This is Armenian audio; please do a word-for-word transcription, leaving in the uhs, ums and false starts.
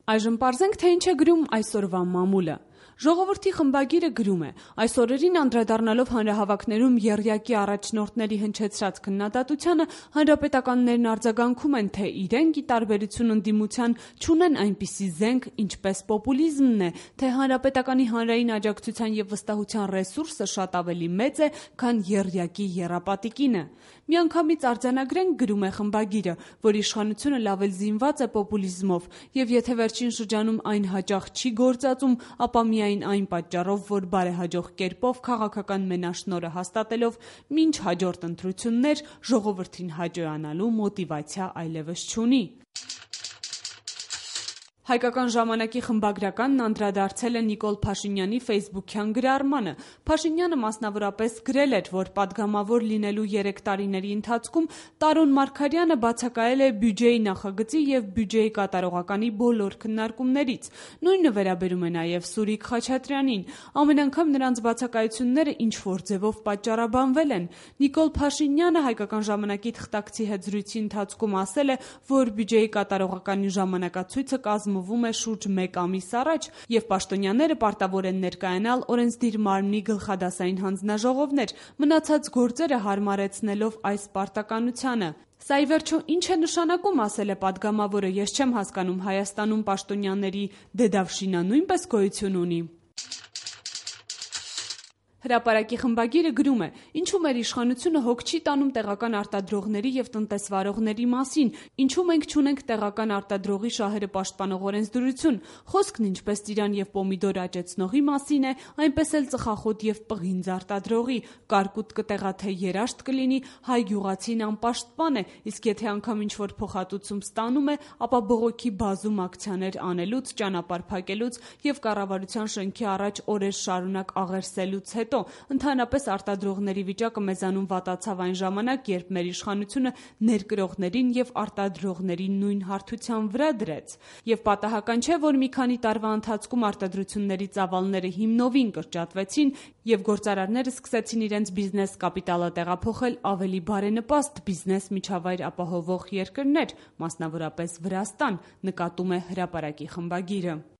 Այժմ պարզենք, թե ինչ է գրում այսօրվա մամուլը։ Ժողովրդի խմբագիրը գրում է. այս օրերին անդրադառնալով հանրահավաքներում եռյակի առաջնորդների հնչեցրած քննադատությանը, հանրապետականներն արձագանքում են, թե իրենք, ի տարբերություն ընդդիմության, չունեն այնպիսի զենք, ինչպես պոպուլիզմն է, թե հանրապետականի հանրային աջակցության և վստահության ռեսուրսը շատ ավելի մեծ է, քան եռյակի եռապատիկինը։ Միանգամից արձանագրենք, գրում է խմբագիրը, որ իշխանությունը լավ էլ զինված է պոպուլիզմով, և եթե վերջին շրջանում այն հաճախ չի գործածում, ապա միայն այն պատճառով, որ բարեհաջող կերպով քաղաքական մենաշնորհը հաստատելով մինչ հաջորդ ընտրություններ ժողովրդին հաճոյանալու մոտիվացիա այլևս չունի։ Հայկական ժամանակի խմբագրականն անդրադարձել է Նիկոլ Փաշինյանի ֆեյսբուքյան գրառմանը։ Փաշինյանը մասնավորապես գրել էր, որ պատգամավոր լինելու երեք տարիների ընթացքում Տարոն Մարգարյանը բացակայել է բյուջեի նախագծի և բյուջեի կատարողականի բոլոր քննարկումներից։ Նույնը վերաբերում է նաև Սուրիկ Խաչատրյանին։ Ամեն անգամ նրանց բացակայությունները ինչ-որ ձևով պատճառաբանվել են։ Նիկոլ Փաշինյանը Հայկական ժամանակի թղթակցի հետ զրույցի ընթացքում ասել է, որ բյուջեի կատարողականի ժամանակացույցը կազմվում է շուրջ մեկ ամիս առաջ, և պաշտոնյաները պարտավոր են ներկայանալ օրենսդիր մարմնի գլխադասային հանձնաժողովներ, մնացած գործերը հարմարեցնելով այս պարտականությանը։ Սա ի վերջո ինչ է նշանակում, ասել է պատգամավորը, ես չեմ հասկանում, Հայաստանում պաշտոնյաների դեդավշինա նույնպես գոյություն ունի։ Հրապարակի խմբագիրը գրում է. ինչու մեր իշխանությունը հոգ չի տանում տեղական արտադրողների և տնտեսվարողների մասին, ինչու մենք չունենք տեղական արտադրողի շահերը պաշտպանող օրենսդրություն, խոսքն ինչպես ծիրան և պոմիդոր աճեցնողի մասին է, այնպես էլ ծխախոտ և պղինձ արտադրողի, կարկուտ կտեղաթե երաշտ կլինի, հայ գյուղացին անպաշտպան է, իսկ եթե անգամ ինչ-որ փոխհատուցում ստանում է, ապա բողոքի բազում ակցիաներ անելուց, ճանապարհ փակելուց և կառավարության շենքի առաջ օրեր շարունակ աղերսելուց հետո ընդհանրապես արտադրողների վիճակը մեզանում վատացավ այն ժամանակ, երբ մեր իշխանությունը ներկրողներին և արտադրողներին նույն հարթության վրա դրեց։ Եվ պատահական չէ, որ մի քանի տարվա ընթացքում արտադրությունների ծավալները հիմնովին կրճատվեցին, և գործարարները սկսեցին իրենց բիզնես կապիտալը տեղափոխել ավելի բարենպաստ բիզնես միջավայր ապահովող երկրներ, մասնավորապես Վրաստան, նկատում է Հրապարակի խմբագիրը։